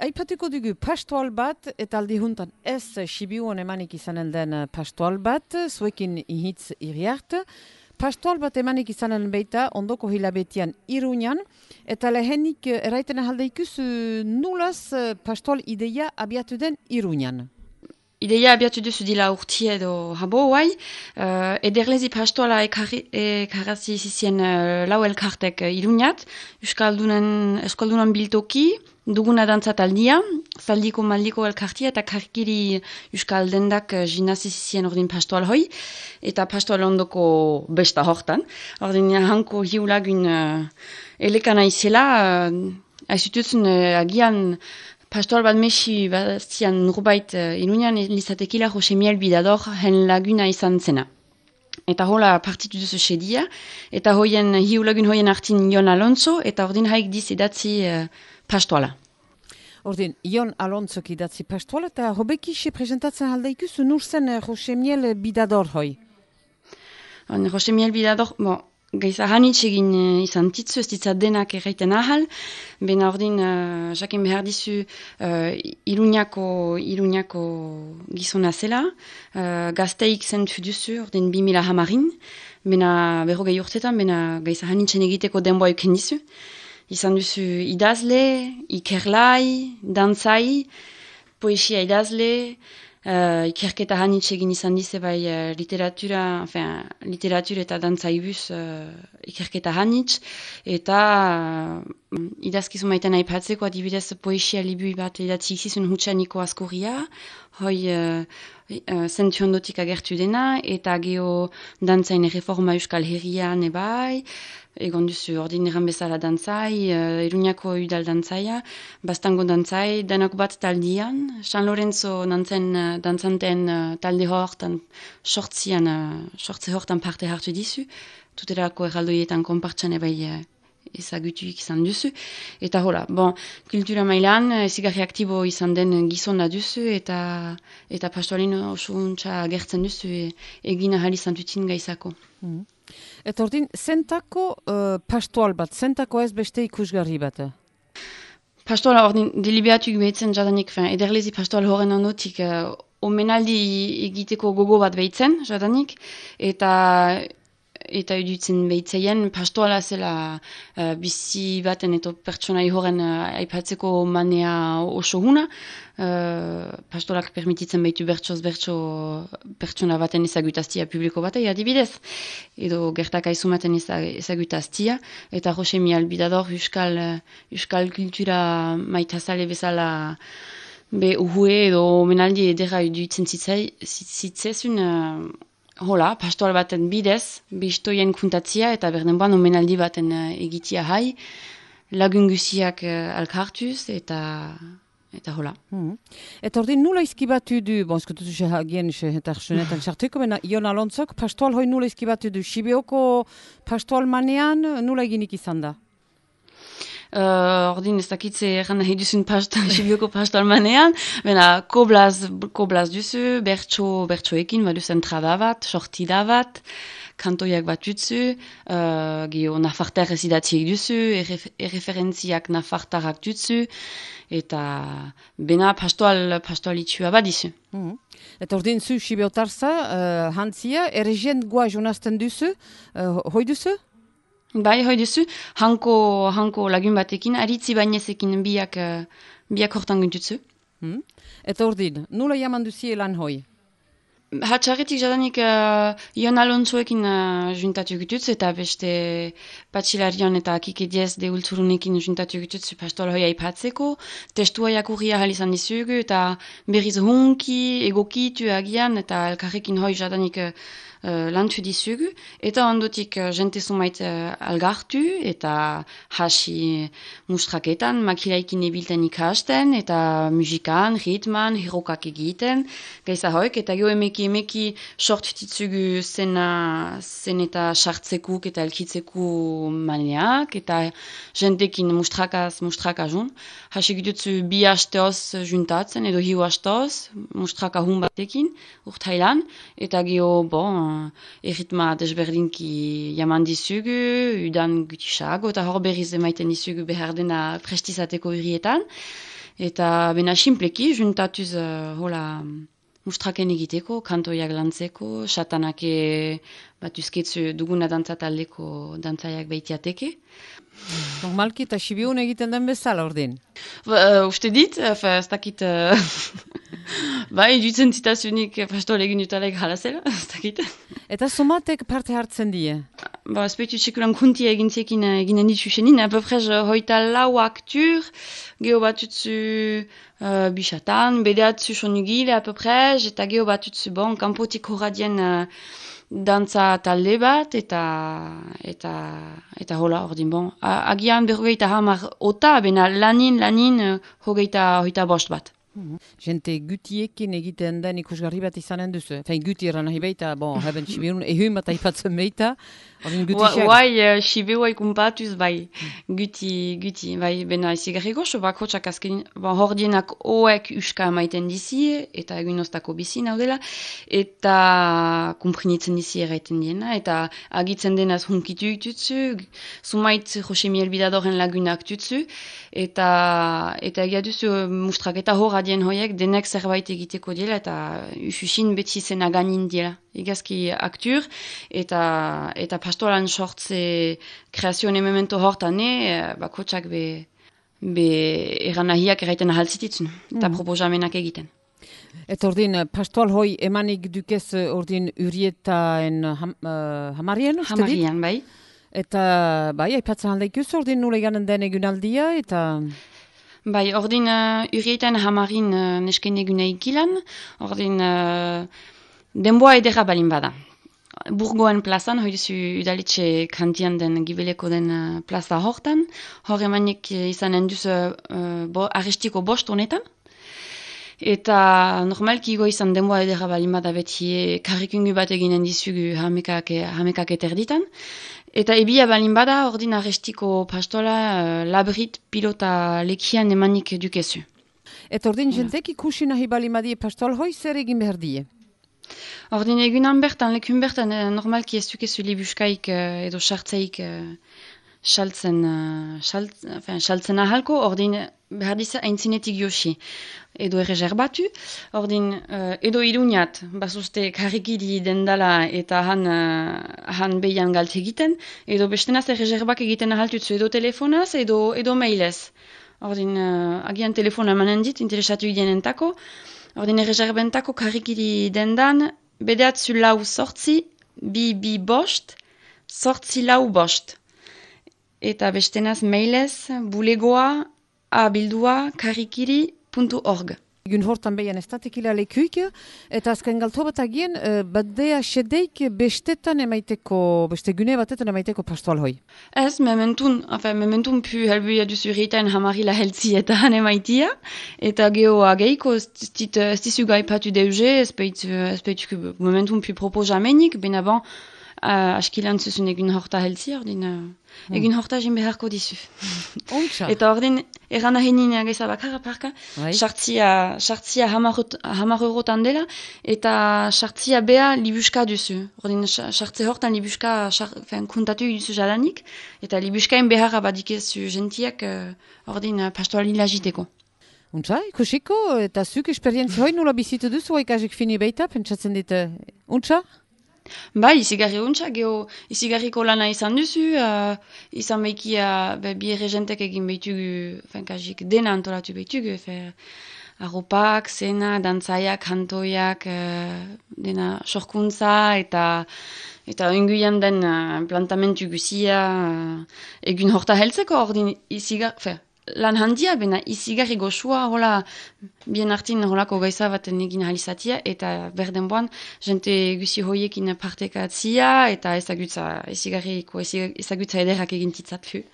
aipatuko dugu pastoal bat, eta aldi juntan ez Sibiuan emanik izanen den pastoal bat, zuekin ihitz iriart. Pastoal bat emanik izanen beita, ondoko hilabetian Iruñan, eta lehenik eraiten ahaldeikuz nulaz pastoal ideia abiatu den Iruñan. Ideia abiatu duzu dila urti edo habo guai, ederlezi pastoala ekarrazi zizien lau elkartek Iruñat, Euskaldunan biltoki, duguna dantzat aldia, zaldiko maldiko elkartia eta karkiri Euskal dendak jinazi zizien ordin pastoal hoi, eta pastoal ondoko besta hortan. Ordin hanko hiulagun elekana izela, aizutuzun agian pastoal bat mesi bastian nurbait Iruñan lizatekila Jose Miel Bidador hen laguna izan zena. Eta hola partitu duzu sedia, eta hiulagun hoien artin Jon Alonso, eta ordin haik diz edatzi pastoala. Ordin, Jon Alonso idatzi pastoala, eta hobekisi presentatzen aldeikuz, nur zen Jose Miel Bidador hoi? Jose Miel Bidador, gaiza hanitz egin izan titzu, ez ditzat denak erraiten ahal, bena ordin, jakin behar dizu, Iruñako gizona zela, gazteik zentu duzu, ordin 2010, bena berrogei urtetan, bena gaiza hanitzen egiteko denboa euken dizu. Izan duzu idazle, ikerlai, dantzai, poesia idazle, ikerketa hanitz egin izan dize bai literatura eta dantzaibuz ikerketa hanitz, eta idazkizu maiten aipatzeko adibidez poesia libui bat idatzi izizun hutsaniko askurria, hoi zentu ondotik agertu dena, eta geho dantzain reforma Euskal Herrian ebai, egon duzu ordin eran bezala dantzai, Iruñako udal dantzaia, bastango dantzai, denak bat taldian, San Lorenzo dantzanten talde hortan, sortze hortan parte hartu dizu, tuterako erraldoietan konpartxan ebai ezagutuik izan duzu, eta hola, kultura mailan ezigarri aktibo izan den gizona duzu, eta pastoalin oso untsa gertzen duzu egin ahal izan dutin gaizako. Eta ordin, zentako pastoal bat, zentako ez beste ikusgarri bat? Pastoala ordin, deliberatuik behitzen jadanik, ederlezi pastoal horren ondotik, omenaldi egiteko gogo bat behitzen jadanik, eta edutzen behitzeien, pastoala zela bizi baten eta pertsonai horren aipatzeko manea oso guna. Pastolak permititzen behitu bertsoz pertsona baten ezagutaztia publiko batei adibidez, edo gertaka izumaten ezagutaztia, eta Jose Miel Bidador Euskal kultura maitazale bezala uhue edo omenaldi edera edutzen zitzezun. Hola, pastoal baten bidez, bistoien kuntatzia eta berdenboan omenaldi baten egitia hai, lagun guziak alkartuz eta hola. Eta ordin nula izkibatu du, eskututu hagien eta arsunetan sartuko, bena Jon Alonzok pastoal hoi nula izkibatu du, Sibioko pastoal manean nula eginik izan da? Ordin ez dakitze erran nahi duzun Sibioko pastoal manean, bena koblaz duzu, bertsoekin, baduzen trada bat, sortida bat, kantoiak bat dutzu, geho nafartar ez idatziek duzu, erreferentziak nafartarak dutzu, eta bena pastoal itxua bat dizu. Eta ordin zu Sibiotarza, hantzia, erregien goa jonazten duzu, hoi duzu? Bai, hoi duzu, hanko lagun batekin, aritzi bainezekin biak hortan guntutzu. Eta ordin, nula jaman duzie lan hoi? Hatxarretik jadanik Jon Alonsoekin juntatu gututz, eta beste Patxilarion eta Kikediez deultzurunekin juntatu gututz pastoal hoi aipatzeko, testua jakurria hal izan dizugu, eta berriz hunki, egokitu agian, eta elkarrekin hoi jadanik lantu dizugu, eta ondotik jente zumait algartu, eta hasi mustraketan, makilaikin ebilten ikasten, eta musikan, ritman, herokak egiten, gaiza hoik, eta geho emeki sort ditzugu zen eta sartzekuk eta elkitzeko maneak, eta jentekin mustraka jun. Hasi gututzu bi hasteoz juntatzen, edo hiu hasteoz, mustraka hun batekin, urtailan, eta geho, erritma desberdinki jaman dizugu, udan gutisago, eta hor berriz emaiten dizugu behar dena prestizateko urrietan. Eta bena simpleki, juntatuz hola mustraken egiteko, kantoiak lantzeko, satanake batuzketzu duguna dantzataldeko dantzaiak behitiateke. Normalki eta Sibiun egiten den bezala ordin. Uste dit, ez dakit, bai, dutzen zitasunik pastoal egin dutalek halazela, ez dakit. Eta somatek parte hartzen die? Espeitu txekulan kuntia egintzekin eginen dituzenin, apeprez hoita lau aktur, geho batutzu bisatan, bedeatzu sonugile apeprez, eta geho batutzu kanpotik horradien dantza talde bat, eta hola ordin agian berrogeita hamar ota, bena lanin hogeita bost bat. Jente gutiekin egiten den ikusgarri bat izanen duzu. Fein guti eran nahi beita, haben Sibiun ehun bat aipatzen beita. Bai, Sibiua ikumpatuz, bai, guti, bai, bena izigarri goxo, bakotxak azken, hordienak oek uska maiten dizi, eta egun oztako bizi naudela, eta kumprinitzen dizi erraiten diena, eta agitzen denaz hunkitu tutzu, sumait Jose Miel Bidadoren lagunak tutzu, eta egia duzu mustrak eta horradien hoiek denek zerbait egiteko dela, eta ususin beti zena ganin dela. Igazki aktur, eta pastoran sortze kreazioen memento hortane, bakotxak be eranahiak erraiten ahaltzititzen, eta proposamenak egiten. Eta ordin, pastoal hoi emanik dukez ordin Urietaen hamarien, uste dit? Hamarien, bai. Eta, bai, aipatzen aldaikuz ordin nule ganen den egunaldia, eta... Bai, ordin Urietaen hamarin nesken eguna ikilan, ordin... Denboa edera balin bada. Burgoen plazan, hori duzu udaletxe kantian den gibeleko den plaza hortan. Hor emanik izanen duzu arrestiko bost honetan. Eta normalki igo izan denboa edera balin bada beti karrikungu bat eginen dizugu hamekak eterditan. Eta ebia balin bada, ordin arrestiko pastola labrit pilota lekian emanik dukezu. Eta ordin jentek ikusi nahi balin badie pastoal hoi zer egin behar die? Ordin egunan bertan, lekun bertan, normalki ez dukezu libuskaik edo sartzaik saltzen ahalko, ordin behar diza aintzinetik josi edo erreserbatu, ordin edo iruniat, basuzte karrikidi dendala eta han behian galte egiten, edo bestenaz erreserbak egiten ahaltutzu edo telefonaz edo mailez. Ordin agian telefona emanen dit, interesatu idenentako, ordin erreserbentako karrikidi dendan, bedeatzu lau sortzi, bi bost, sortzi lau bost. Eta bestenaz mailez, bulegoa, abildua, karrikiri.org. Egun hortan behian ez datekila lekuik, eta azken galto bat agien, badea sedeik bestetan emaiteko, beste gune batetan emaiteko pastoal hoi? Ez, mementun pu helbuia duzu Urietaen hamarila heltzi eta han emaitia, eta geho ageiko ez dizu gaipatu deuze, ez behitu mementun pu proposamenik, bena askilan zuzun egun horta heltzi, ordin egun horta jen beharko dizu. Eta ordin, eran ahenin ageza bakarra parka, sartzia hamar eurotan dela, eta sartzia bea libuska duzu. Ordin, sartze hortan libuska kuntatu duzu jadanik, eta libuskain beharra badikezu gentiak, ordin, pastoali lagiteko. Untsa, ikusiko, eta zuk esperientzia hoi nula bizitu duzu, ikasik fini beita, pentsatzen dit, untsa? Bai, izigarri untsa, geho izigarriko lana izan duzu, izan behikia bi erregentek egin behitugu, kasik dena antolatu behitugu, arropak, zena, dantzaiak, kantoiak, dena sorkuntza, eta inguian den plantamentu guzia, egun horta heltzeko, ordin izigarri, lan handia, bena izigarri goxua, hola, bien artin holako gaiza baten egin halizatia, eta berdenboan, jente guzi hoiekin partekatzia, eta ezagutza ederrak egin titzat fu.